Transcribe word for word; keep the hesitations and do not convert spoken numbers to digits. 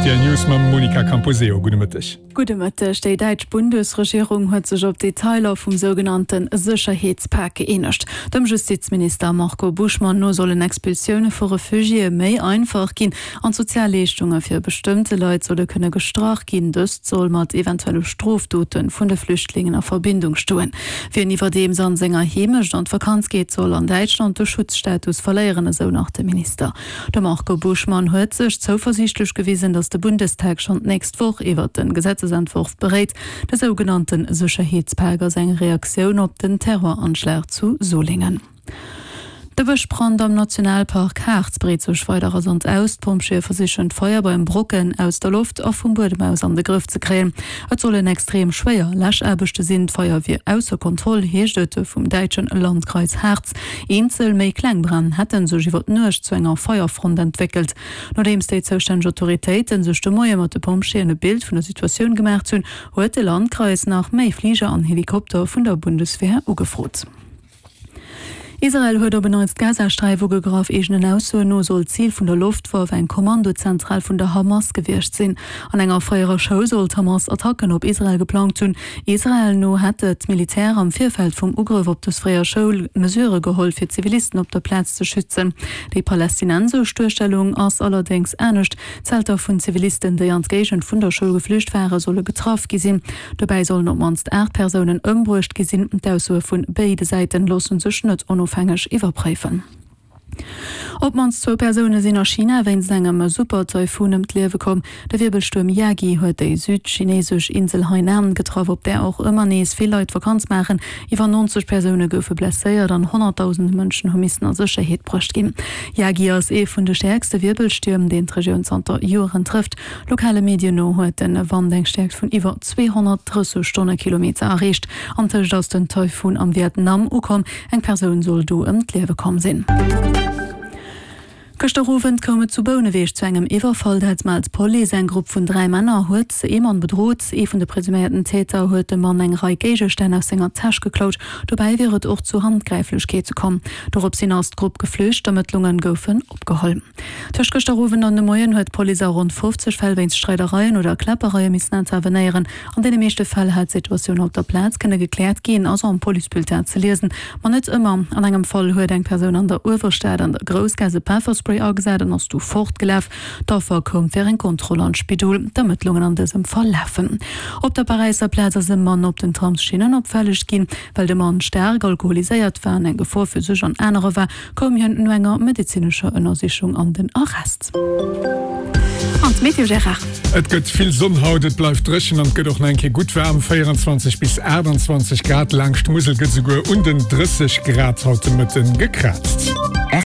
R T L News mam Monica Camposeo. Gudde Mëtteg. Gudde Mëtteg. Déi däitsch Bundesregierung huet sech op d'Detailer vum sougenannte Sécherheetspak gëeenegt. Dem Justizminister Marco Buschmann no sollen Expulsioune vu Refugiéë méi einfach ginn an d'Sozialleeschtunge fir bestëmmte Leit solle kënne gestrach ginn. Dëst soll mat eventuelle Strofdote vun de Flüchtlingen a Verbindung stoen. Wien iwwerdeems an senger Heemecht an d'Vakanz geet, soll an Däitschland de Schutzstatus verléieren, esou nach de Minister. De Marco Buschmann huet sech zouversiichtlech gewisen, datt de Bundestag schonn d'nächst Woch iwwert de Gesetzesentworf beréit. De sougenannte Sécherheetspak ass eng Reaktioun op den Terroranschlag zu Solingen. De Bëschbrand am Nationalpark Harz breet sech weider rasant aus. D'Pompjeeë versichen d'Feier beim Brocken aus der Loft a vum Buedem aus an de Grëff ze kréien. Et sollen extrem schwéier Läschaarbechte sinn. D'Feier wier ausser Kontroll, heescht et vum däitschen Landkreis Harz. Eenzel méi kleng Bränn hätte sech iwwer d'Nuecht zu enger Feierfront entwéckelt. Nodeems déi zoustänneg Autoritéite sech de Moie mat de Pompjeeën e Bild vun der Situatioun gemaacht hunn, huet de Landkreis nach méi Fliger an Helikopter vun der Bundeswehr ugefrot. Israel huet op en Neits d'Gazasträif ugegraff. Eegenen Aussoen no soll d'Zil vun der Loftwaff eng Kommandozentral vun der Hamas gewiescht sinn. An enger fréierer Schoul soll d'Hamas Attacken op Israel geplangt hunn. Israel no hätt d'Militär am Virfeld vum Ugrëff op dës fréier Schoul Mesurë geholl, fir d'Zivilisten op der Plaz ze schützen. Déi palästinensesch Duerstellung ass allerdéngs anescht. Zelter vun Zivilisten, déi an d'Géigend vun der Schoul geflücht ware, solle getraff gi sinn. Dobäi sollen op d'mannst aacht Persounen ëmbruecht gi sinn. D'Aussoe vu béide Säite loosse sech net onofhängeg iwwerpréifen. Op d'mannst zwou Persoune sinn a China wéinst engem Super-Taifun ëm d'Liewe komm. De Wierbelstuerm Yagi huet déi südchineesesch Insel Hainan getraff, op där och ëmmer nees vill Leit Vakanz maachen. Iwwer neunzeg Persoune goufe blesséiert an honnertdausende Mënschen hu missen a Sécherheet bruecht ginn. Yagi ass ee vun de stäerkste Wierbelstierm, deen d'Regioun zanter Joeren trëfft. Lokale Medien no huet de Wand eng Stäerkt vun iwwer zweehonnertdrësseg Stonnekilometer erreecht. Antëscht ass den Taifun am Vietnam ukomm. Eng Persoun soll do ëm d'Liewe komm sinn. Gëschter Owend koum et zu Bouneweg zu engem Iwwerfall. Dat mellt d'Police. Eng Grupp vun dräi Männer huet ee Mann bedrot. Ee vun de presuméierten Täter huet dem Mann eng Rei Géigestänn aus senger Täsch geklaut. Dobäi wier et och zu Handgräiflechkeete komm. Dorops hin ass d'Grupp geflücht. D'Ermëttlunge goufen opgeholl. Tëscht gëschter Owend an de Moien huet d'Police a ronn fofzeg Fäll wéinst Streidereien oder Kläppereie missen intervenéieren. An deene meeschte Fäll hätt d'Situatioun op der Plaz kënne gekläert ginn, ass am Policebulletin ze liesen. Ma net ëmmer. An engem Fall huet eng Persoun an der Uewerstad an der Groussgaass e Pefferspray agesat an ass du fortgelaf. D'Affer koum fir eng Kontroll an d'Spidol. D'Ermëttlungen an dësem Fall lafen. Op der Paräisser Plaz ass e Mann op den Tramsschinnen opfälleg ginn. Well de Mann staark alkoholiséiert war an eng Gefor fir sech an anerer war, koum hien no enger medezinescher Ënnersichung an den Arrest. An d'Meteo, Gérard? Et gëtt vill Sonn haut, et bleift dréchen an et gëtt och nach eng Kéier gutt waarm, véierenzwanzeg bis aachtanzwanzeg Grad. Laangscht d'Musel gëtt esouguer un den drësseg Grad haut de Mëtten gekraazt.